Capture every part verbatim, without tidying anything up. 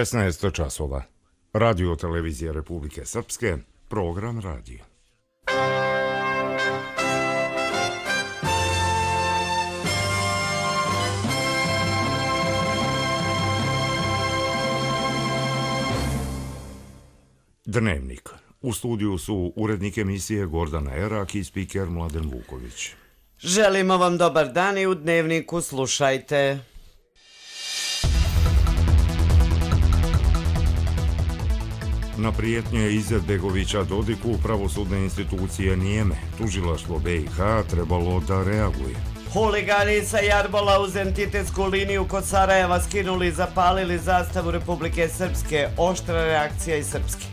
šesnaest časova. Radio televizija Republike Srpske, program radija. Dnevnik. U studiju su urednik emisije Gordana Erak i spiker Mladen Vuković. Želimo vam dobar dan i u Dnevniku slušajte. Na prijetnje Izetbegovića Dodiku pravosudne institucije nijeme. Tužilaštvo B i H trebalo da reaguje. Huligani sa Jarbola uz entitetsku liniju kod Sarajeva skinuli i zapalili zastavu Republike Srpske. Oštra reakcija iz Srpske.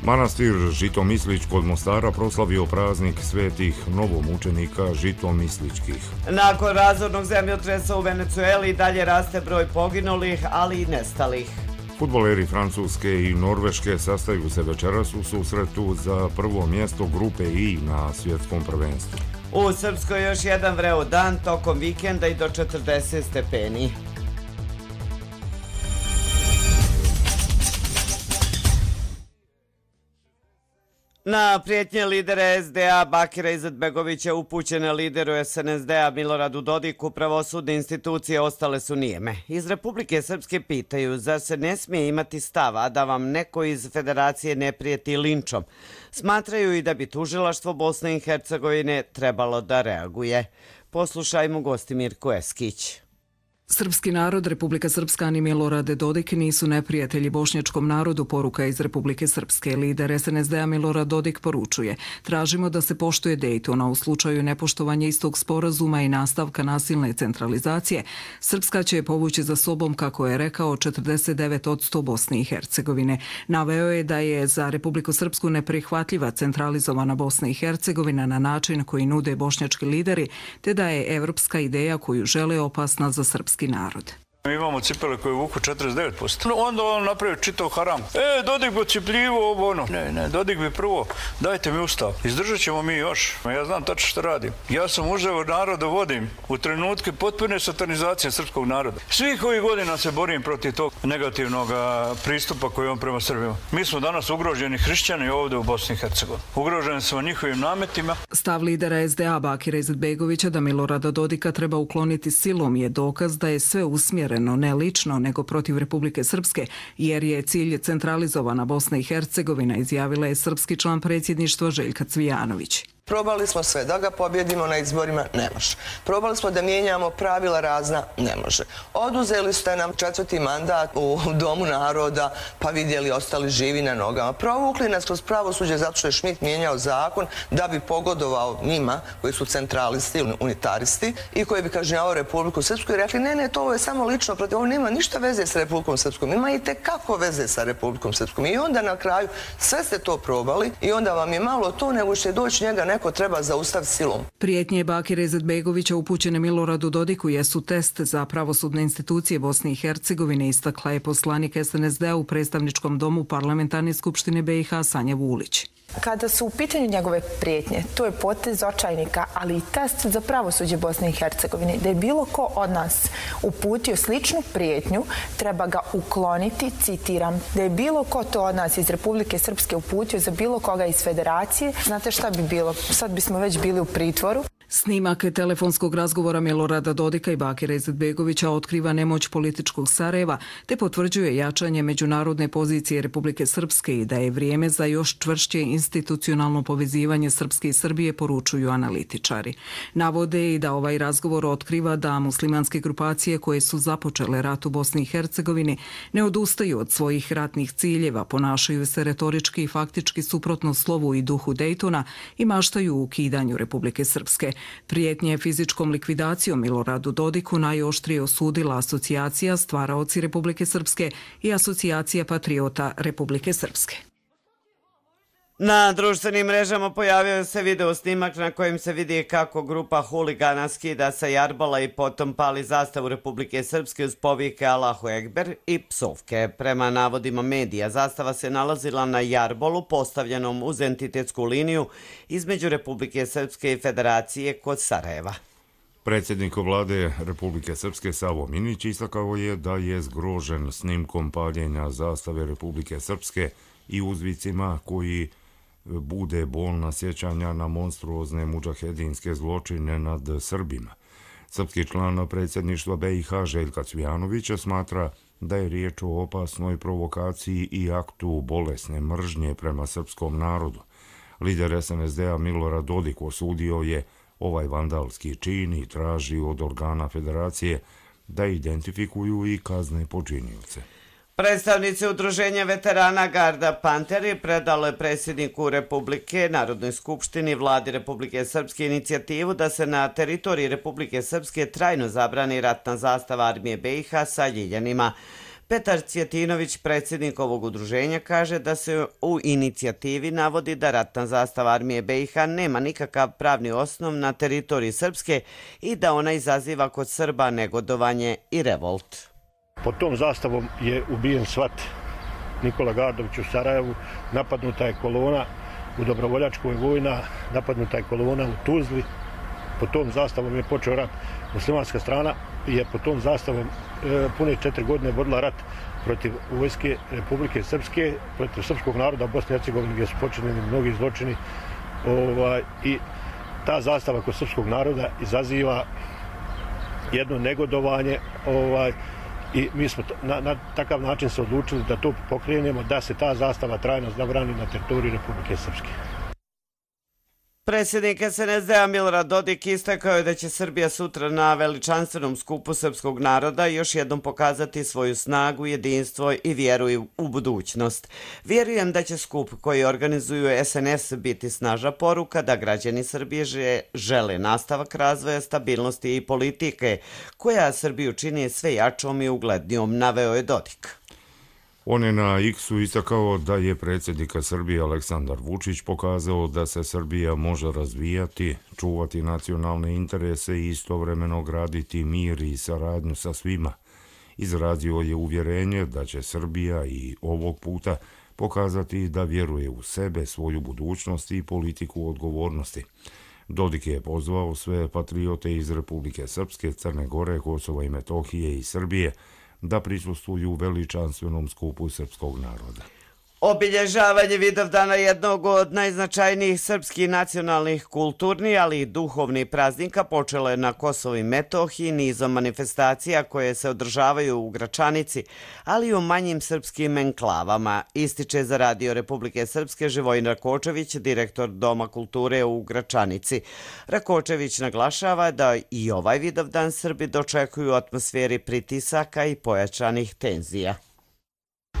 Manastir Žitomislić kod Mostara proslavio praznik svetih novomučenika Žitomisličkih. Nakon razornog zemljotresa u Venecueli dalje raste broj poginulih, ali i nestalih. Fudbaleri Francuske i Norveške sastaju se večeras u susretu za prvo mjesto grupe I na svjetskom prvenstvu. U Srpskoj još jedan vreo dan tokom vikenda i do četrdeset stepeni. Na prijetnje lidera S D A Bakira Izetbegovića upućene lideru S N S D-a Miloradu Dodiku pravosudne institucije ostale su nijeme. Iz Republike Srpske pitaju, zar se ne smije imati stav, a da vam neko iz Federacije ne prijeti linčom? Smatraju i da bi tužilaštvo Bosne i Hercegovine trebalo da reaguje. Poslušajmo gosti Mirko Eskić. Srpski narod, Republika Srpska ni Milorad Dodik nisu neprijatelji bošnjačkom narodu, poruka iz Republike Srpske. Lider S N S D-a Milorad Dodik poručuje: tražimo da se poštuje Dejtona u slučaju nepoštovanja istog sporazuma i nastavka nasilne centralizacije. Srpska će povući za sobom, kako je rekao, četrdeset devet posto Bosne i Hercegovine. Naveo je da je za Republiku Srpsku neprihvatljiva centralizovana Bosna i Hercegovina na način koji nude bošnjački lideri, te da je evropska ideja koju žele opasna za srpski narod. Mi imamo cipele koje vuku četrdeset devet posto. Onda on napravi čitav haram. E, Dodik bi ocipljivo ovo ono. Ne, ne, Dodik bi prvo, dajte mi ustav. Izdržat ćemo mi još. Ja znam tačno što radim. Ja sam uzeo naroda vodim u trenutke potpune satanizacije srpskog naroda. Svih ovih godina se borim protiv tog negativnog pristupa koji on prema Srbima. Mi smo danas ugroženi hrišćani ovdje u Bosni i Hercegovini. Ugroženi smo njihovim nametima. Stav lidera S D A Bakira Izetbegovića da Milorada Dodika treba ukloniti silom je dokaz da je sve usmjereno ne lično, nego protiv Republike Srpske, jer je cilj centralizovana Bosna i Hercegovina, izjavila je srpski član predsjedništva Željka Cvijanović. Probali smo sve, da ga pobjedimo na izborima, ne može. Probali smo da mijenjamo pravila razna, ne može. Oduzeli ste nam četvrti mandat u Domu naroda, pa vidjeli ostali živi na nogama. Provukli nas kroz pravosuđe zato što je Šmit mijenjao zakon da bi pogodovao njima, koji su centralisti, unitaristi, i koji bi kažnjavao Republiku Srpsku i rekli, ne, ne, to je samo lično protiv, ovo nema ništa veze sa Republikom Srpskom, ima i tekako veze sa Republikom Srpskom. I onda na kraju sve ste to probali i onda vam je malo to, nego će doći njega neko treba zaustaviti silom. Prijetnje Bakira Izetbegovića upućene Miloradu Dodiku jesu test za pravosudne institucije Bosne i Hercegovine, istakla je poslanik S N S D-a u predstavničkom domu Parlamentarne skupštine B i H Sanja Vulić. Kada su u pitanju njegove prijetnje, to je potez očajnika, ali i test za pravosuđe Bosne i Hercegovine. Da je bilo ko od nas uputio sličnu prijetnju, treba ga ukloniti, citiram. Da je bilo ko to od nas iz Republike Srpske uputio za bilo koga iz Federacije, znate šta bi bilo? Sad bismo već bili u pritvoru. Snimak telefonskog razgovora Milorada Dodika i Bakira Izetbegovića otkriva nemoć političkog Sarajeva, te potvrđuje jačanje međunarodne pozicije Republike Srpske i da je vrijeme za još čvršće institucionalno povezivanje Srpske i Srbije, poručuju analitičari. Navode i da ovaj razgovor otkriva da muslimanske grupacije koje su započele rat u Bosni i Hercegovini ne odustaju od svojih ratnih ciljeva, ponašaju se retorički i faktički suprotno slovu i duhu Dejtona i maštaju u ukidanju Republike Srpske. Prijetnje fizičkom likvidacijom Miloradu Dodiku najoštrije osudila asocijacija Stvaraoci Republike Srpske i asocijacija Patriota Republike Srpske. Na društvenim mrežama pojavio se video snimak na kojem se vidi kako grupa huligana skida sa Jarbola i potom pali zastavu Republike Srpske uz povike Allahu Ekber i psovke. Prema navodima medija, zastava se nalazila na Jarbolu postavljenom uz entitetsku liniju između Republike Srpske i Federacije kod Sarajeva. Predsjednik vlade Republike Srpske Savo Minić istakao je da je zgrožen snimkom paljenja zastave Republike Srpske i uzvicima koji bude bolna sjećanja na monstruozne mudžahedinske zločine nad Srbima. Srpski član predsjedništva B i H Željka Cvijanovića smatra da je riječ o opasnoj provokaciji i aktu bolesne mržnje prema srpskom narodu. Lider S N S D-a Milorad Dodik osudio je ovaj vandalski čin i traži od organa federacije da identifikuju i kazne počinioce. Predstavnici Udruženja veterana Garda Panteri predalo je predsjedniku Republike, Narodnoj skupštini, vladi Republike Srpske inicijativu da se na teritoriji Republike Srpske trajno zabrani ratna zastava armije B i H sa ljiljanima. Petar Cvjetinović, predsjednik ovog udruženja, kaže da se u inicijativi navodi da ratna zastava armije B i H nema nikakav pravni osnov na teritoriji Srpske i da ona izaziva kod Srba negodovanje i revolt. Pod tom zastavom je ubijen svat Nikola Gardović u Sarajevu, napadnuta je kolona u Dobrovoljačkoj vojna, napadnuta je kolona u Tuzli. Pod tom zastavom je počeo rat. Muslimanska strana je pod tom zastavom e, pune četiri godine vodila rat protiv vojske Republike Srpske, protiv srpskog naroda u Bosni i Hercegovini gdje su počinjeni mnogi zločini. Ovaj, I ta zastava kod srpskog naroda izaziva jedno negodovanje ovaj, i mi smo na, na takav način se odlučili da to pokrenemo, da se ta zastava trajno zabrani na teritoriji Republike Srpske. Predsjednik S N S D-a Milorad Dodik istakao je da će Srbija sutra na veličanstvenom skupu srpskog naroda još jednom pokazati svoju snagu, jedinstvo i vjeru u budućnost. Vjerujem da će skup koji organizuju S N S biti snažna poruka da građani Srbije žele nastavak razvoja, stabilnosti i politike koja Srbiju čini sve jačom i uglednijom, naveo je Dodik. On je na X-u istakao da je predsjednika Srbije Aleksandar Vučić pokazao da se Srbija može razvijati, čuvati nacionalne interese i istovremeno graditi mir i saradnju sa svima. Izrazio je uvjerenje da će Srbija i ovog puta pokazati da vjeruje u sebe, svoju budućnost i politiku odgovornosti. Dodik je pozvao sve patriote iz Republike Srpske, Crne Gore, Kosova i Metohije i Srbije da prisustvuju veličanstvenom skupu srpskog naroda. Obilježavanje Vidovdana, jednog od najznačajnijih srpskih nacionalnih, kulturnih, ali i duhovnih praznika, počelo je na Kosovu i Metohiji nizom manifestacija koje se održavaju u Gračanici, ali i u manjim srpskim enklavama, ističe za Radio Republike Srpske Živojin Rakočević, direktor Doma kulture u Gračanici. Rakočević naglašava da i ovaj Vidovdan Srbi dočekuju u atmosferi pritisaka i pojačanih tenzija.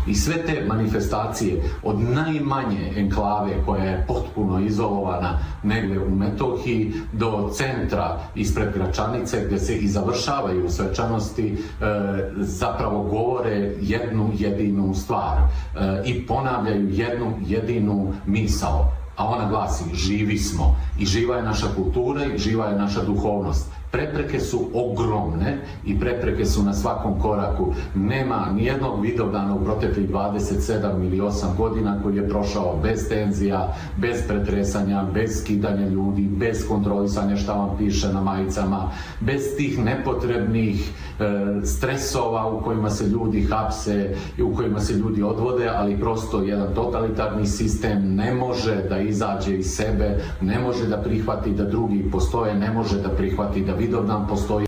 I sve te manifestacije od najmanje enklave koja je potpuno izolovana negdje u Metohiji do centra ispred Gračanice gdje se i završavaju svečanosti e, zapravo govore jednu jedinu stvar e, i ponavljaju jednu jedinu misao. A ona glasi živi smo i živa je naša kultura i živa je naša duhovnost. Prepreke su ogromne i prepreke su na svakom koraku. Nema nijednog Vidovdana u proteklih dvadeset sedam ili osam godina koji je prošao bez tenzija, bez pretresanja, bez skidanja ljudi, bez kontrolisanja šta vam piše na majicama, bez tih nepotrebnih e, stresova u kojima se ljudi hapse i u kojima se ljudi odvode, ali prosto jedan totalitarni sistem ne može da izađe iz sebe, ne može da prihvati da drugi postoje, ne može da prihvati da Vidovdan postoji.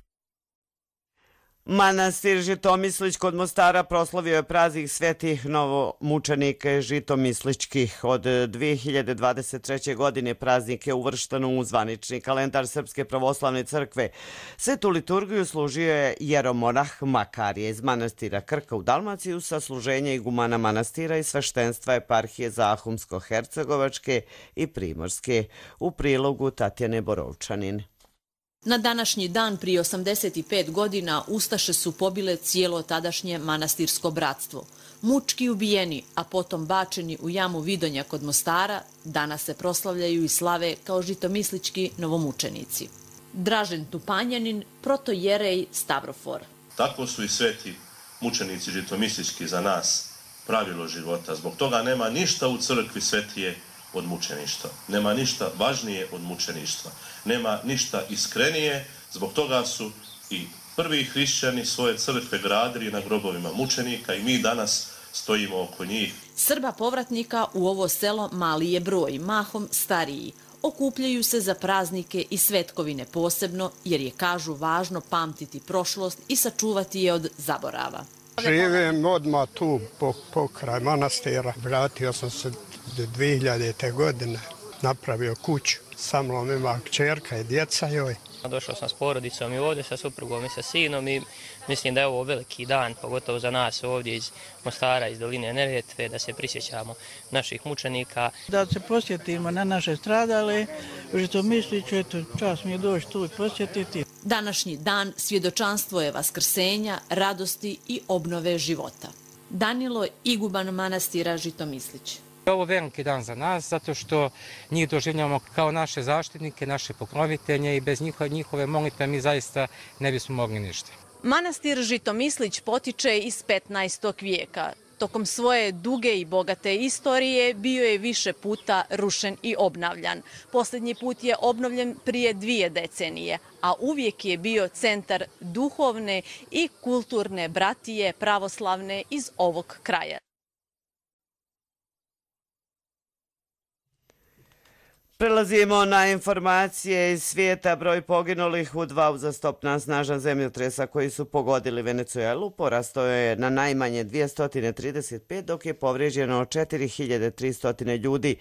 Manastir Žitomislić kod Mostara proslavio je praznik svetih novomučenika žitomisličkih. Od dvije hiljade dvadeset treće. godine praznik je uvršten u zvanični kalendar Srpske pravoslavne crkve. Svetu liturgiju služio je jeromonah Makarije iz manastira Krka u Dalmaciju sa služenja igumana manastira i sveštenstva eparhije Zahumsko-Hercegovačke i Primorske. U prilogu Tatjane Borovčanin. Na današnji dan prije osamdeset pet godina ustaše su pobile cijelo tadašnje manastirsko bratstvo. Mučki ubijeni, a potom bačeni u jamu Vidonja kod Mostara, danas se proslavljaju i slave kao žitomislički novomučenici. Dražen Tupanjanin, protojerej Stavrofor. Tako su i sveti mučenici žitomislički za nas pravilo života. Zbog toga nema ništa u crkvi svetije od mučeništva. Nema ništa važnije od mučeništva. Nema ništa iskrenije Zbog toga su i prvi hrišćani svoje crkve gradili na grobovima mučenika i mi danas stojimo oko njih. Srba povratnika u ovo selo mali je broj, mahom stariji. Okupljaju se za praznike i svetkovine posebno, jer je, kažu, važno pamtiti prošlost i sačuvati je od zaborava. Živim odmah tu pokraj manastira. Vratio sam se dvije hiljadite. godine, napravio kuću. Sa mnom ima kćerka i djeca joj. Došao sam s porodicom i ovdje sa suprugom i sa sinom i mislim da je ovo veliki dan, pogotovo za nas ovdje iz Mostara, iz doline Neretve, da se prisjećamo naših mučenika. Da se posjetimo na naše stradale, što misliću, eto, čas mi je doći tu i posjetiti. Današnji dan svjedočanstvo je vaskrsenja, radosti i obnove života. Danilo, iguban manastira Žitomislić. Ovo je veliki dan za nas, zato što njih doživljamo kao naše zaštitnike, naše pokrovitelje i bez njihove, njihove molitve mi zaista ne bismo mogli ništa. Manastir Žitomislić potiče iz petnaestog vijeka. Tokom svoje duge i bogate istorije bio je više puta rušen i obnavljan. Posljednji put je obnovljen prije dvije decenije, a uvijek je bio centar duhovne i kulturne bratije pravoslavne iz ovog kraja. Prelazimo na informacije iz svijeta. Broj poginulih u dva uzastopna snažna zemljotresa koji su pogodili Venecuelu porastao je na najmanje dvjesto trideset pet, dok je povrijeđeno četiri hiljade tristo ljudi.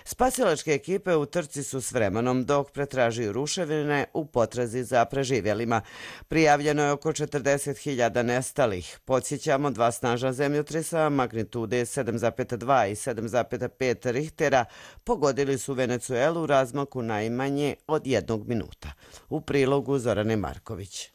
Spasilačke ekipe u trci su s vremenom, dok pretražuju ruševine u potrazi za preživjelima. Prijavljeno je oko četrdeset hiljada nestalih. Podsjećamo, dva snažna zemljotresa magnitude sedam zarez dva i sedam zarez pet Richtera pogodili su Venecuelu u razmaku najmanje od jednog minuta. U prilogu Zorane Marković.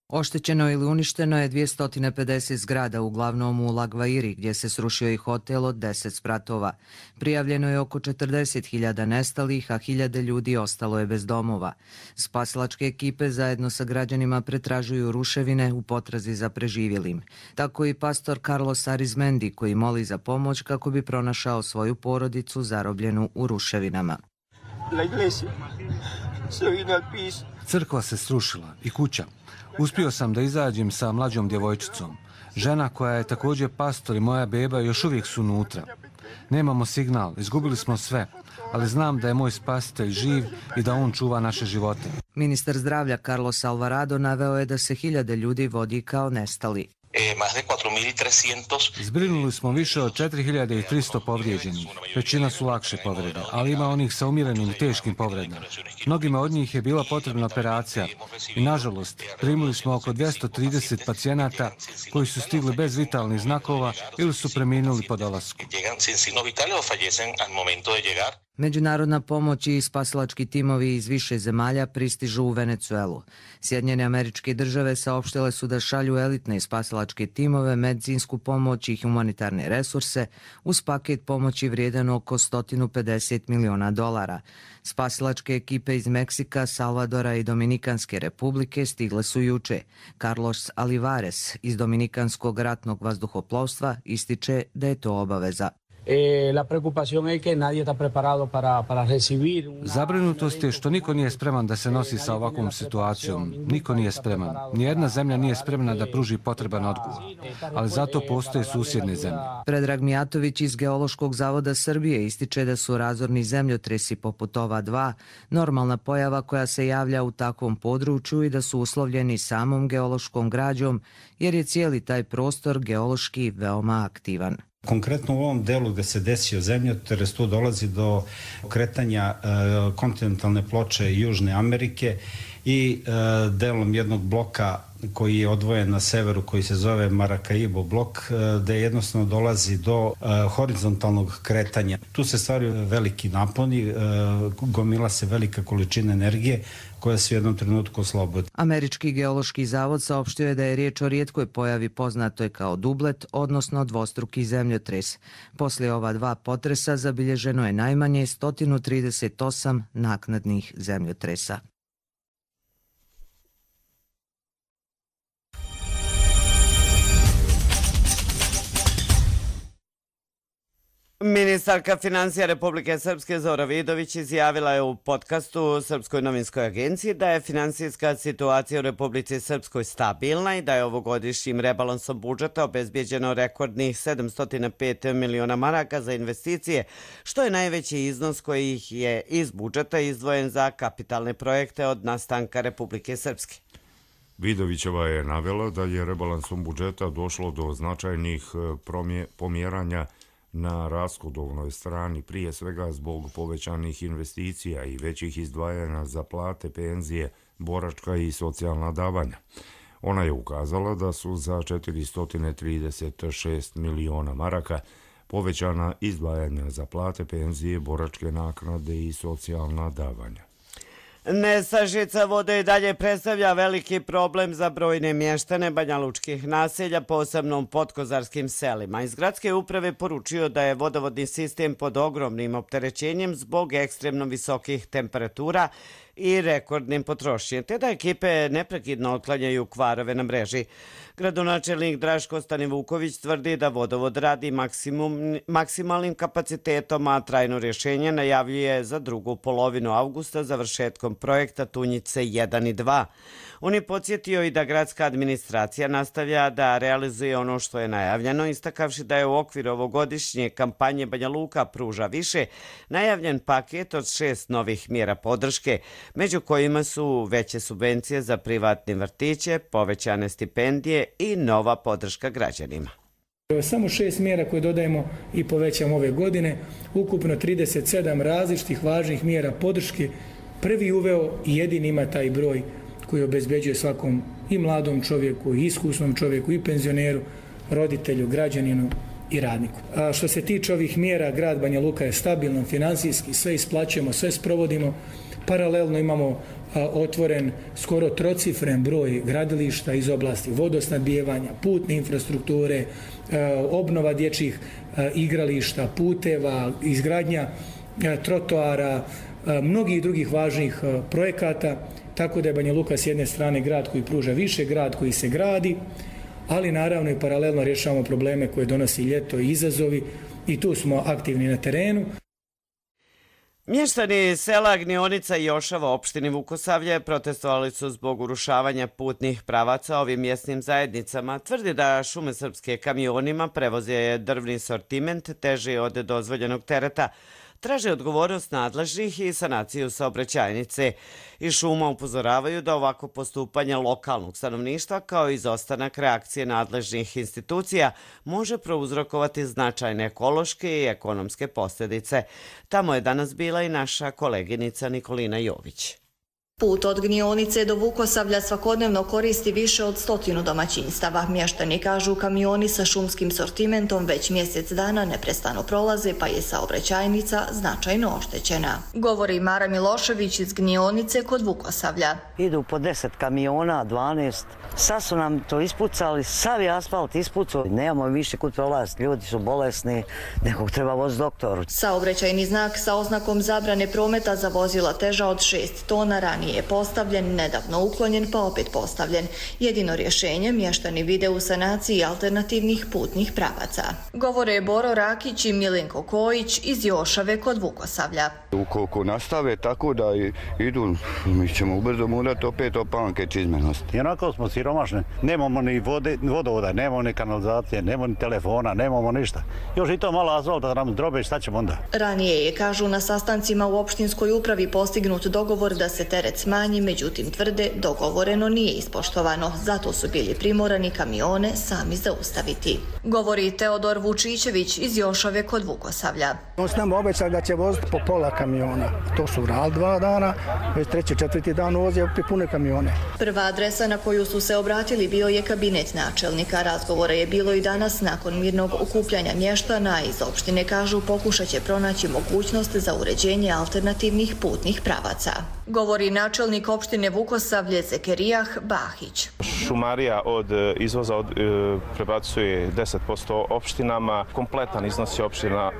Oštećeno ili uništeno je dvjesto pedeset zgrada, uglavnom u La Guairi, gdje se srušio i hotel od deset spratova. Prijavljeno je oko četrdeset hiljada nestalih, a hiljade ljudi ostalo je bez domova. Spasilačke ekipe zajedno sa građanima pretražuju ruševine u potrazi za preživjelim. Tako i pastor Carlos Arizmendi, koji moli za pomoć kako bi pronašao svoju porodicu zarobljenu u ruševinama. Crkva se srušila i kuća. Uspio sam da izađem sa mlađom djevojčicom. Žena koja je također pastor i moja beba još uvijek su unutra. Nemamo signal, izgubili smo sve, ali znam da je moj spasitelj živ i da on čuva naše živote. Ministar zdravlja Carlos Alvarado naveo je da se hiljade ljudi vodi kao nestali. Zbrinuli smo više od četiri hiljade tristo povrijeđenih. Većina su lakše povrede, ali ima onih sa umjerenim i teškim povredama. Mnogima od njih je bila potrebna operacija i, nažalost, primili smo oko dvjesto trideset pacijenata koji su stigli bez vitalnih znakova ili su preminuli po dolasku. Međunarodna pomoć i spasilački timovi iz više zemalja pristižu u Venecuelu. Sjedinjene Američke Države saopštile su da šalju elitne spasilačke timove, medicinsku pomoć i humanitarne resurse uz paket pomoći vrijedan oko sto pedeset miliona dolara. Spasilačke ekipe iz Meksika, Salvadora i Dominikanske republike stigle su juče. Carlos Alivares iz Dominikanskog ratnog vazduhoplovstva ističe da je to obaveza. Zabrinutost je što niko nije spreman da se nosi sa ovakvom situacijom. Niko nije spreman. Nijedna zemlja nije spremna da pruži potreban odgovor. Ali zato postoje susjedne zemlje. Predrag Mijatović iz Geološkog zavoda Srbije ističe da su razorni zemljotresi poput ova dva normalna pojava koja se javlja u takvom području i da su uslovljeni samom geološkom građom, jer je cijeli taj prostor geološki veoma aktivan. Konkretno u ovom delu gdje se desio zemljotres, tu dolazi do kretanja e, kontinentalne ploče Južne Amerike i e, delom jednog bloka koji je odvojen na severu, koji se zove Maracaibo blok, gde jednostavno dolazi do uh, horizontalnog kretanja. Tu se stvaraju veliki naponi, uh, gomila se velika količina energije koja se u jednom trenutku oslobodi. Američki geološki zavod saopštio je da je riječ o rijetkoj pojavi poznatoj kao dublet, odnosno dvostruki zemljotres. Poslije ova dva potresa zabilježeno je najmanje sto trideset osam naknadnih zemljotresa. Ministarka financija Republike Srpske Zora Vidović izjavila je u podcastu Srpskoj novinskoj agenciji da je finansijska situacija u Republici Srpskoj stabilna i da je ovogodišnjim rebalansom budžeta obezbijeđeno rekordnih sedamsto pet miliona maraka za investicije, što je najveći iznos koji je iz budžeta izdvojen za kapitalne projekte od nastanka Republike Srpske. Vidovićeva je navela da je rebalansom budžeta došlo do značajnih pomjeranja na rashodovnoj strani, prije svega zbog povećanih investicija i većih izdvajanja za plate, penzije, boračka i socijalna davanja. Ona je ukazala da su za četiristo trideset šest miliona maraka povećana izdvajanja za plate, penzije, boračke naknade i socijalna davanja. Nestašica vode i dalje predstavlja veliki problem za brojne mještane banjalučkih naselja, posebno u podkozarskim selima. Iz gradske uprave poručio da je vodovodni sistem pod ogromnim opterećenjem zbog ekstremno visokih temperatura i rekordnim potrošnjem, te da ekipe neprekidno otklanjaju kvarove na mreži. Gradonačelnik Draško Stanivuković tvrdi da vodovod radi maksimum, maksimalnim kapacitetom, a trajno rješenje najavljuje za drugu polovinu avgusta završetkom projekta Tunjice jedan i dva. On je podsjetio i da gradska administracija nastavlja da realizuje ono što je najavljeno, istakavši da je u okviru ovogodišnje kampanje Banja Luka pruža više najavljen paket od šest novih mjera podrške, među kojima su veće subvencije za privatne vrtiće, povećane stipendije i nova podrška građanima. Samo šest mjera koje dodajemo i povećamo ove godine, ukupno trideset sedam različitih važnih mjera podrške. Prvi uveo i jedini ima taj broj koji obezbeđuje svakom i mladom čovjeku, i iskusnom čovjeku, i penzioneru, roditelju, građaninu i radniku. A što se tiče ovih mjera, grad Banja Luka je stabilan finansijski, sve isplaćujemo, sve sprovodimo. Paralelno imamo a, otvoren skoro trocifren broj gradilišta iz oblasti vodosnabdijevanja, putne infrastrukture, a, obnova dječjih a, igrališta, puteva, izgradnja a, trotoara, a, mnogih drugih važnih a, projekata, tako da je Banja Luka s jedne strane grad koji pruža više, grad koji se gradi, ali naravno i paralelno rješavamo probleme koje donosi ljeto i izazovi i tu smo aktivni na terenu. Mještani sela Gnionica i Jošava u opštini Vukosavlje protestovali su zbog urušavanja putnih pravaca ovim mjesnim zajednicama. Tvrdi da Šume Srpske kamionima prevoze drvni sortiment teži od dozvoljenog tereta. Traže odgovornost nadležnih i sanaciju saobraćajnice. Iz Šuma upozoravaju da ovako postupanje lokalnog stanovništva kao i izostanak reakcije nadležnih institucija može prouzrokovati značajne ekološke i ekonomske posljedice. Tamo je danas bila i naša koleginica Nikolina Jović. Put od Gnionice do Vukosavlja svakodnevno koristi više od stotinu domaćinstava. Mještani kažu kamioni sa šumskim sortimentom već mjesec dana neprestano prolaze, pa je saobraćajnica značajno oštećena. Govori Mara Milošević iz Gnionice kod Vukosavlja. Idu po deset kamiona, dvanaest. Sad su nam to ispucali, sav je asfalt ispucao. Nemamo više kud prolaziti, ljudi su bolesni, nekog treba voziti doktoru. Saobraćajni znak sa oznakom zabrane prometa za vozila teža od šest tona ranije je postavljen, nedavno uklonjen pa opet postavljen. Jedino rješenje mještani vide u sanaciji alternativnih putnih pravaca. Govore Boro Rakić i Milenko Kojić iz Jošave kod Vukosavlja. Ukoliko nastave tako da idu, mi ćemo ubrzo morati opet opanke čizmenosti. Jednako smo siromašni, nemamo ni vode, vodovoda, nemamo ni kanalizacije, nemamo ni telefona, nemamo ništa. Još i to malo azolta da nam drobe, šta ćemo onda? Ranije je, kažu, na sastancima u opštinskoj upravi postignut dogovor da se teret smanji, međutim tvrde dogovoreno nije ispoštovano, zato su bili primorani kamione sami zaustaviti. Govori Teodor Vučićević iz Jošave kod Vukosavlja. On s nama obećali da će voziti po pola kamiona. To su urali dva dana, već treći, četvrti dan voze opet pune kamione. Prva adresa na koju su se obratili bio je kabinet načelnika. Razgovora je bilo i danas nakon mirnog okupljanja mještana. Iz opštine kažu pokušat će pronaći mogućnost za uređenje alternativnih putnih pravaca. Govori načelnik opštine Vukosavlje Zekerijah Bahić. šumarija od izvoza od, prebacuje deset posto opštinama. Kompletan iznos je opština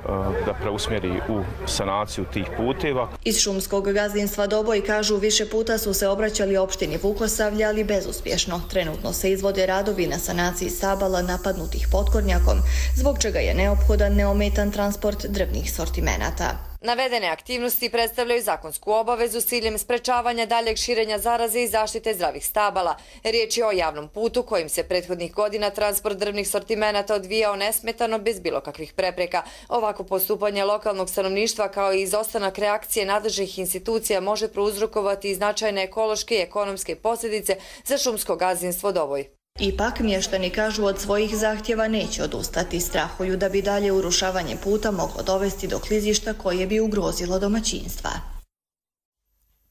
da preusmjeri u sanaciju tih puteva. Iz šumskog gazdinstva Doboj kažu više puta su se obraćali opštini Vukosavlje, ali bezuspješno. Trenutno se izvode radovi na sanaciji stabala napadnutih potkornjakom, zbog čega je neophodan neometan transport drvnih sortimenata. Navedene aktivnosti predstavljaju zakonsku obavezu s ciljem sprečavanja daljeg širenja zaraze i zaštite zdravih stabala. Riječ je o javnom putu kojim se prethodnih godina transport drvnih sortimenata odvijao nesmetano bez bilo kakvih prepreka. Ovako postupanje lokalnog stanovništva kao i izostanak reakcije nadležnih institucija može prouzrokovati i značajne ekološke i ekonomske posljedice za šumsko gazdinstvo Doboj. Ipak, mještani kažu od svojih zahtjeva neće odustati, strahuju da bi dalje urušavanje puta moglo dovesti do klizišta koje bi ugrozilo domaćinstva.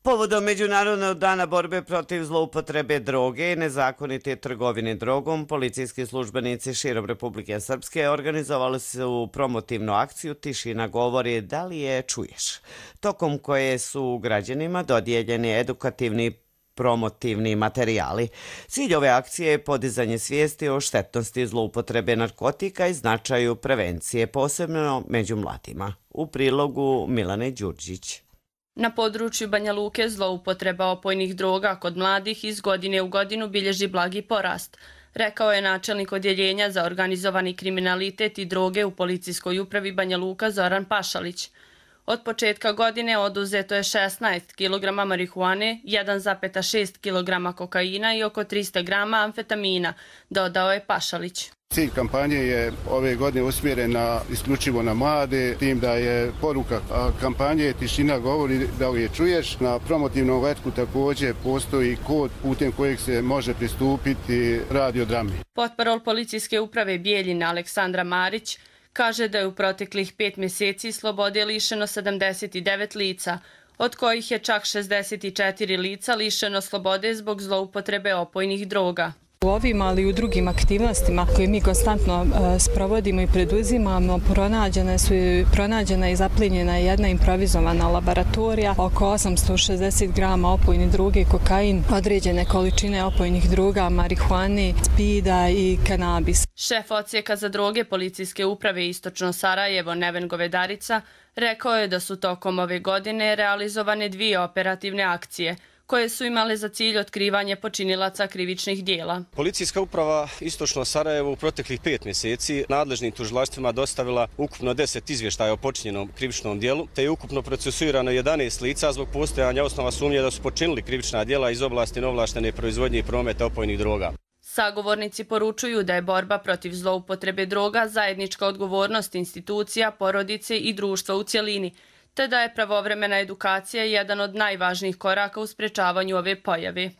Povodom Međunarodnog dana borbe protiv zloupotrebe droge i nezakonite trgovine drogom, policijski službenici širom Republike Srpske organizovali su promotivnu akciju Tišina govori, da li je čuješ, tokom koje su građanima dodijeljeni edukativni promotivni materijali. Cilj ove akcije je podizanje svijesti o štetnosti zloupotrebe narkotika i značaju prevencije, posebno među mladima. U prilogu Milane Đurđić. Na području Banja Luke zloupotreba opojnih droga kod mladih iz godine u godinu bilježi blagi porast, rekao je načelnik odjeljenja za organizovani kriminalitet i droge u policijskoj upravi Banja Luka Zoran Pašalić. Od početka godine oduzeto je šesnaest kilograma marihuane, jedan zarez šest kilograma kokaina i oko trista grama amfetamina, dodao je Pašalić. Cilj kampanje je ove godine usmjeren na, isključivo na mlade, tim da je poruka kampanje Tišina govori, da li je čuješ. Na promotivnom letku također postoji kod putem kojeg se može pristupiti radiodrami. Potparol policijske uprave Bijeljina Aleksandra Marić kaže da je u proteklih pet mjeseci slobode lišeno sedamdeset devet lica, od kojih je čak šezdeset četiri lica lišeno slobode zbog zloupotrebe opojnih droga. U ovim, ali i u drugim aktivnostima koje mi konstantno e, sprovodimo i preduzimamo, pronađena, su, pronađena i zaplinjena jedna improvizovana laboratorija, oko osamsto šezdeset grama opojne droge, kokain, određene količine opojnih droga, marihuane, spida i kanabis. Šef odsjeka za droge policijske uprave Istočno Sarajevo Neven Govedarica rekao je da su tokom ove godine realizovane dvije operativne akcije, koje su imale za cilj otkrivanje počinilaca krivičnih dijela. Policijska uprava Istočno Sarajevo u proteklih pet mjeseci nadležnim tužilaštvima dostavila ukupno deset izvještaja o počinjenom krivičnom dijelu, te je ukupno procesuirano jedanaest lica zbog postojanja osnova sumnje da su počinili krivična dijela iz oblasti neovlaštene proizvodnje i prometa opojnih droga. Sagovornici poručuju da je borba protiv zloupotrebe droga zajednička odgovornost institucija, porodice i društva u cjelini, te da je pravovremena edukacija jedan od najvažnijih koraka u sprečavanju ove pojave.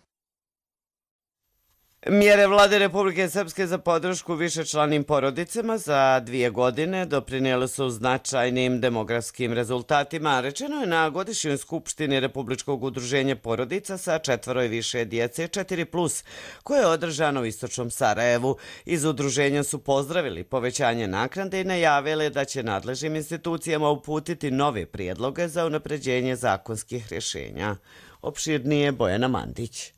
Mjere Vlade Republike Srpske za podršku višečlanim porodicama za dvije godine doprinijele su značajnim demografskim rezultatima. Rečeno je na godišnjoj skupštini Republičkog udruženja porodica sa četvoro i više djece četiri plus, koje je održano u Istočnom Sarajevu. Iz udruženja su pozdravili povećanje naknade i najavili da će nadležnim institucijama uputiti nove prijedloge za unapređenje zakonskih rješenja. Opširnije Bojana Mandić.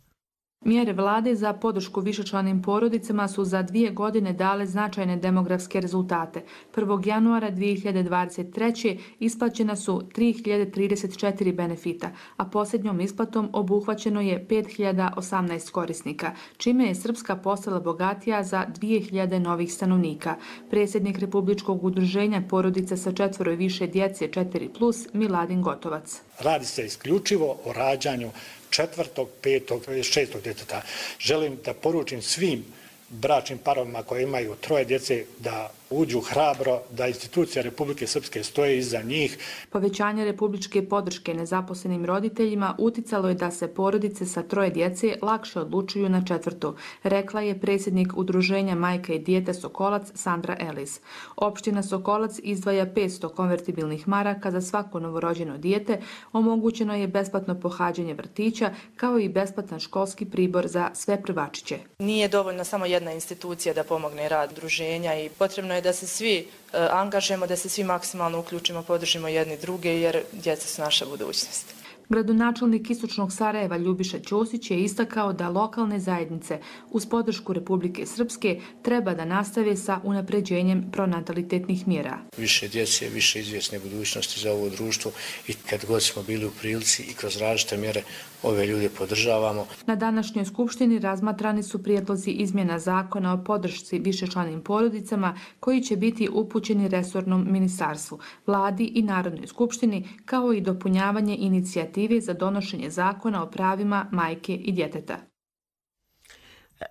Mjere vlade za podršku višečlanim porodicama su za dvije godine dale značajne demografske rezultate. prvog januara dvije hiljade dvadeset treće. isplaćena su tri hiljade trideset četiri benefita, a posljednjom isplatom obuhvaćeno je pet hiljada osamnaest korisnika, čime je Srpska postala bogatija za dvije hiljade novih stanovnika. Predsjednik Republičkog udruženja porodica sa četvoro i više djece četiri plus Miladin Gotovac. Radi se isključivo o rađanju četvrtog, petog, šestog djeteta. Želim da poručim svim bračnim parovima koji imaju troje djece da uđu hrabro, da institucija Republike Srpske stoje iza njih. Povećanje republičke podrške nezaposlenim roditeljima uticalo je da se porodice sa troje djece lakše odlučuju na četvrtu, rekla je predsjednik udruženja Majka i dijete Sokolac Sandra Elis. Opština Sokolac izdvaja petsto konvertibilnih maraka za svako novorođeno dijete, omogućeno je besplatno pohađanje vrtića kao i besplatan školski pribor za sve prvačiće. Nije dovoljno samo jedna institucija da pomogne rad udruženja i potrebno je da se svi uh, angažujemo, da se svi maksimalno uključimo, podržimo jedni druge jer djeca su naša budućnost. Gradonačelnik Istočnog Sarajeva Ljubiša Ćosić je istakao da lokalne zajednice uz podršku Republike Srpske treba da nastave sa unapređenjem pronatalitetnih mjera. Više djece, više izvjesne budućnosti za ovo društvo i kad god smo bili u prilici i kroz različite mjere ove ljude podržavamo. Na današnjoj skupštini razmatrani su prijedlozi izmjena zakona o podršci višečlanim porodicama koji će biti upućeni resornom ministarstvu, vladi i Narodnoj skupštini, kao i dopunjavanje inicijative za donošenje zakona o pravima majke i djeteta.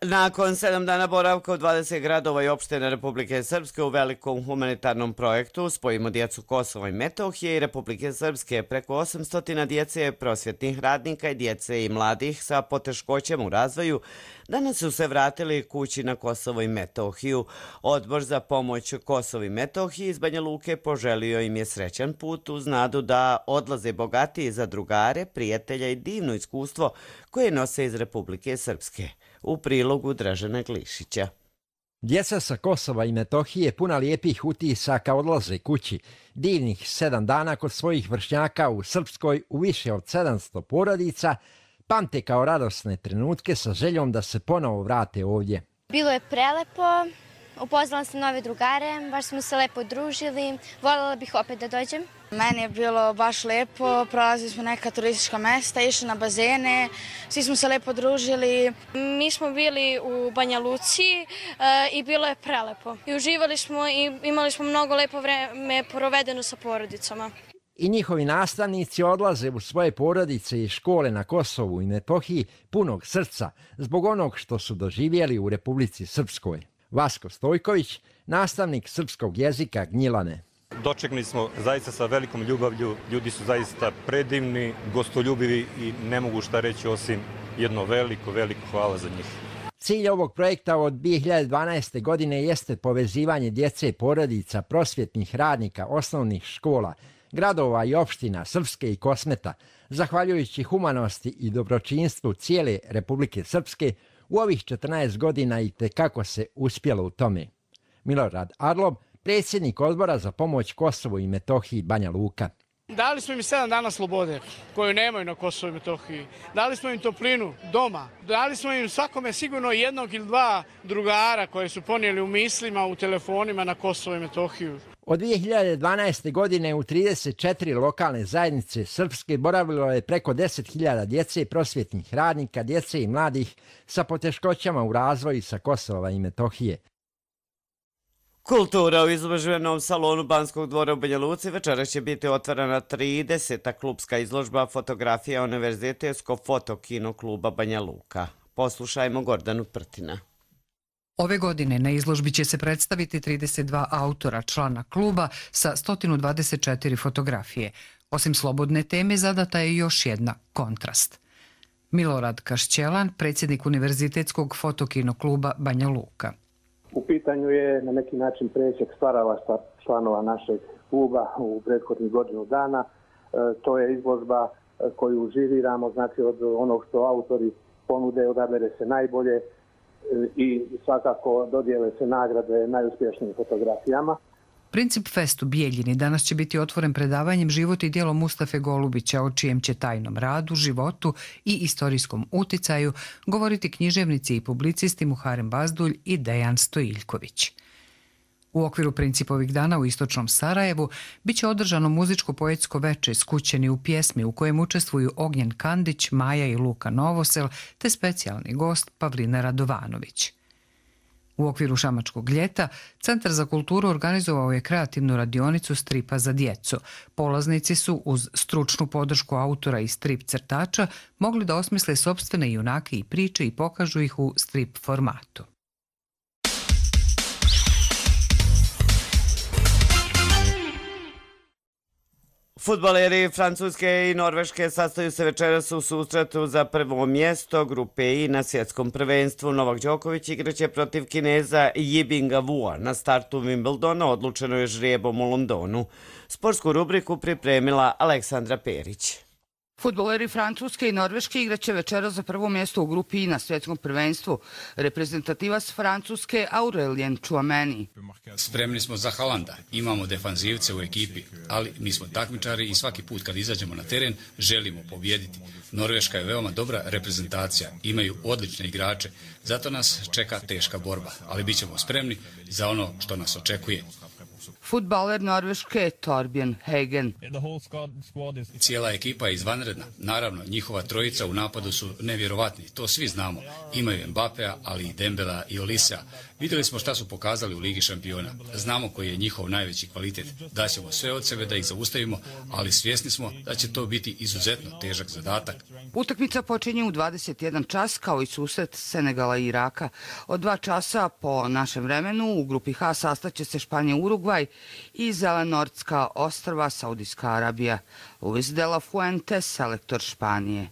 Nakon sedam dana boravka u dvadeset gradova i opština Republike Srpske u velikom humanitarnom projektu Spojimo djecu Kosova i Metohije i Republike Srpske, preko osamsto djece, prosvjetnih radnika i djece i mladih sa poteškoćama u razvoju danas su se vratili kući na Kosovo i Metohiju. Odbor za pomoć Kosovo i Metohiji iz Banja Luke poželio im je srećan put uz nadu da odlaze bogatiji za drugare, prijatelja i divno iskustvo koje nose iz Republike Srpske. U prilogu Dražena Glišića. Djeca sa Kosova i Metohije puna lijepih utisaka odlaze kući. Divnih sedam dana kod svojih vršnjaka u Srpskoj u više od sedamsto porodica pamte kao radosne trenutke sa željom da se ponovo vrate ovdje. Bilo je prelepo, upoznala sam nove drugare, baš smo se lepo družili, voljela bih opet da dođem. Meni je bilo baš lepo, prolazili smo neka turistička mesta, išli na bazene, svi smo se lepo družili. Mi smo bili u Banja Luci e, i bilo je prelepo. I uživali smo i imali smo mnogo lepo vreme provedeno sa porodicama. I njihovi nastavnici odlaze u svoje porodice i škole na Kosovu i Metohiji punog srca zbog onog što su doživjeli u Republici Srpskoj. Vasko Stojković, nastavnik srpskog jezika Gnjilane. Dočekali smo zaista sa velikom ljubavlju, ljudi su zaista predivni, gostoljubivi i ne mogu šta reći osim jedno veliko, veliko hvala za njih. Cilj ovog projekta od dvije hiljade dvanaeste. godine jeste povezivanje djece, porodica, prosvjetnih radnika, osnovnih škola, gradova i opština Srpske i Kosmeta, zahvaljujući humanosti i dobročinstvu cijele Republike Srpske, u ovih četrnaest godina i tekako se uspjelo u tome. Milorad Arlob, predsjednik odbora za pomoć Kosovu i Metohiji Banja Luka. Dali smo im sedam dana slobode koju nemaju na Kosovu i Metohiji. Dali smo im toplinu doma. Dali smo im svakome sigurno jednog ili dva drugara koje su ponijeli u mislima, u telefonima na Kosovo i Metohiju. Od dvije hiljade dvanaeste. godine u trideset četiri lokalne zajednice Srpske boravilo je preko deset hiljada djece, prosvjetnih radnika, djece i mladih sa poteškoćama u razvoju sa Kosova i Metohije. Kultura u izložbenom salonu Banskog dvora u Banja Luci večeras će biti otvorena trideseta klubska izložba fotografija Univerzitetskog fotokino kluba Banja Luka. Poslušajmo Gordanu Prtina. Ove godine na izložbi će se predstaviti trideset dva autora člana kluba sa sto dvadeset četiri fotografije. Osim slobodne teme zadata je još jedna – kontrast. Milorad Kašćelan, predsjednik Univerzitetskog fotokino kluba Banja Luka. U pitanju je na neki način presjek stvaralaštva članova našeg kluba u prethodnih godinu dana. E, to je izložba koju živiramo, znači od onog što autori ponude, odabere se najbolje e, i svakako dodijele se nagrade najuspješnijim fotografijama. Princip Fest u Bijeljini danas će biti otvoren predavanjem Život i djelo Mustafe Golubića, o čijem će tajnom radu, životu i istorijskom uticaju govoriti književnici i publicisti Muharem Bazdulj i Dejan Stojiljković. U okviru principovih dana u Istočnom Sarajevu biće održano muzičko-poetsko veče Skućeni u pjesmi u kojem učestvuju Ognjen Kandić, Maja i Luka Novosel te specijalni gost Pavlina Radovanović. U okviru Šamačkog ljeta Centar za kulturu organizovao je kreativnu radionicu stripa za djecu. Polaznici su uz stručnu podršku autora i strip crtača mogli da osmisle sopstvene junake i priče i pokažu ih u strip formatu. Fudbaleri Francuske i Norveške sastaju se večeras u susretu za prvo mjesto grupe I na svjetskom prvenstvu. Novak Đoković igraće protiv Kineza Yibinga Wua. Na startu Wimbledona odlučeno je žrijebom u Londonu. Sportsku rubriku pripremila Aleksandra Perić. Fudbaleri Francuske i Norveške igraće večeras za prvo mjesto u grupi I na svjetskom prvenstvu. Reprezentativac Francuske Aurelien Tchouameni. Spremni smo za Haalanda, imamo defanzivce u ekipi, ali mi smo takmičari i svaki put kad izađemo na teren želimo pobijediti. Norveška je veoma dobra reprezentacija, imaju odlične igrače, zato nas čeka teška borba, ali bit ćemo spremni za ono što nas očekuje. Fudbaler Norveške Torbjørn Hagen. Cijela ekipa je izvanredna. Naravno, njihova trojica u napadu su nevjerovatni, to svi znamo. Imaju Mbappea, ali i Dembela i Olisea. Vidjeli smo šta su pokazali u Ligi šampiona. Znamo koji je njihov najveći kvalitet. Daćemo sve od sebe da ih zaustavimo, ali svjesni smo da će to biti izuzetno težak zadatak. Utakmica počinje u dvadeset jedan čas kao i susret Senegala i Iraka. Od dva časa po našem vremenu u grupi H sastaće se Španija, Urugvaj i Zelenortska ostrva, Saudijska Arabija. Luis de la Fuente, selektor Španije.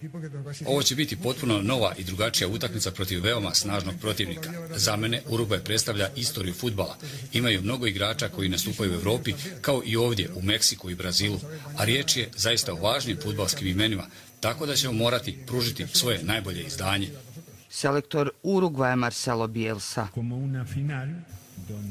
Ovo će biti potpuno nova i drugačija utakmica protiv veoma snažnog protivnika. Za mene Urugvaj predstavlja istoriju fudbala. Imaju mnogo igrača koji nastupaju u Evropi, kao i ovdje u Meksiku i Brazilu, a riječ je zaista o važnim fudbalskim imenima, tako da ćemo morati pružiti svoje najbolje izdanje. Selektor Urugvaja Marcelo Bielsa.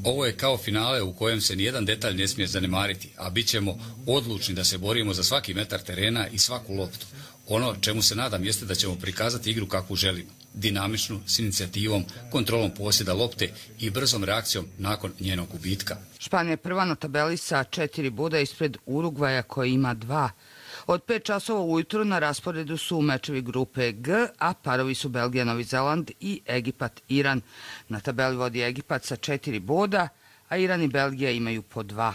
Ovo je kao finale u kojem se nijedan detalj ne smije zanemariti, a bit ćemo odlučni da se borimo za svaki metar terena i svaku loptu. Ono čemu se nadam jeste da ćemo prikazati igru kakvu želimo. Dinamičnu, s inicijativom, kontrolom posjeda lopte i brzom reakcijom nakon njenog gubitka. Španija je prva na tabeli sa četiri boda ispred Urugvaja koji ima dva. Od pet časova ujutru na rasporedu su mečevi grupe G, a parovi su Belgija, Novi Zeland i Egipat, Iran. Na tabeli vodi Egipat sa četiri boda, a Iran i Belgija imaju po dva.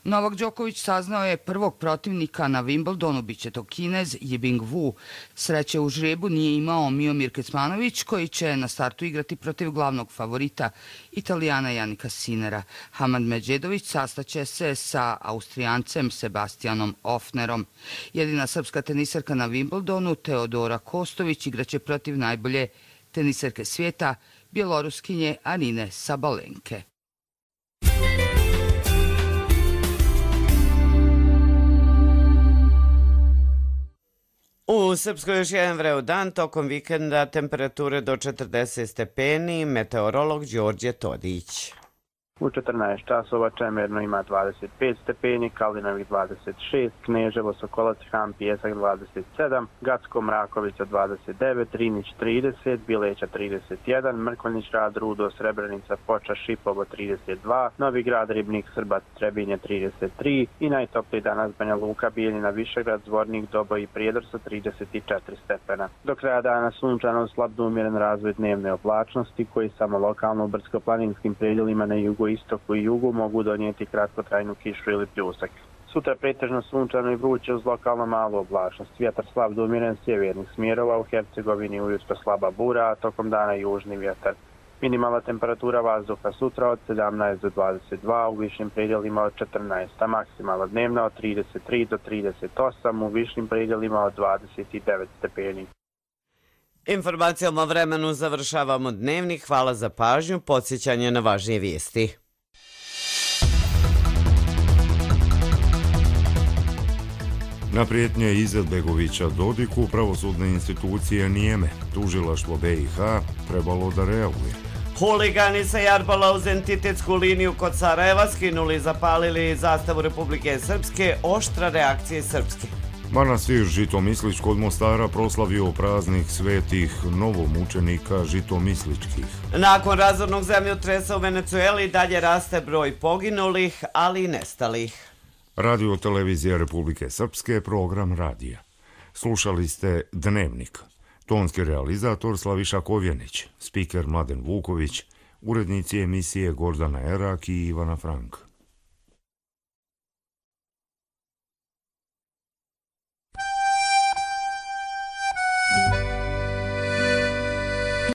Novak Đoković saznao je prvog protivnika na Wimbledonu, bit će to Kinez Yibing Wu. Sreće u žrebu nije imao Miomir Kecmanović, koji će na startu igrati protiv glavnog favorita, Italijana Janika Sinera. Hamad Medžedović sastaće se sa Austrijancem Sebastianom Ofnerom. Jedina srpska teniserka na Wimbledonu, Teodora Kostović, igraće protiv najbolje teniserke svijeta, Bjeloruskinje Arine Sabalenke. U Srpskoj još jedan vreo dan, tokom vikenda temperature do četrdeset stepeni, meteorolog Đorđe Todić. U četrnaest časova Čemerno ima dvadeset pet stepeni, Kalinović dvadeset šest, Kneževo, Sokolac, Han, Pijesak dvadeset sedam, Gacko, Mrakovica dvadeset devet, Rinić trideset, Bileća trideset jedan, Mrkonjić, Rad, Rudo, Srebrenica, Foča, Šipovo trideset dva, Novi Grad, Ribnik, Srbac, Trebinje trideset tri i najtopliji danas Banja Luka, Bijeljina, Višegrad, Zvornik, Doboj i Prijedor sa trideset četiri stepena. Do kraja dana sunčano, slab do umjeren razvoj dnevne oblačnosti koji samo lokalno u brdsko-planinskim predjelima na jugu istoku i jugu mogu donijeti kratkotrajnu kišu ili pljusak. Sutra pretežno sunčano i vruće uz lokalno malu oblačnost. Vjetar slab do umjeren sjevernih smjerova, u Hercegovini ujutro slaba bura, a tokom dana južni vjetar. Minimalna temperatura vazduha sutra od sedamnaest do dvadeset dva, u višim predjelima od četrnaest, a maksimalna dnevna od trideset tri do trideset osam, u višim predjelima od dvadeset devet stepeni. Informacijom o vremenu završavamo dnevnik. Hvala za pažnju. Podsjećanje na važnije vijesti. Na prijetnje Izetbegovića Dodiku pravosudne institucije nijeme. Tužilaštvo B i H trebalo da reaguje. Huligani sa Jarbala uz entitetsku liniju kod Sarajeva skinuli i zapalili zastavu Republike Srpske. Oštra reakcija Srpske. Manastir Žitomislić kod Mostara proslavio praznik svetih novomučenika žitomisličkih. Nakon razornog zemljotresa u Venecueli dalje raste broj poginulih, ali i nestalih. Radio televizija Republike Srpske, program radija. Slušali ste Dnevnik. Tonski realizator Slaviša Kovjenić, spiker Mladen Vuković, urednici emisije Gordana Erak i Ivana Frank.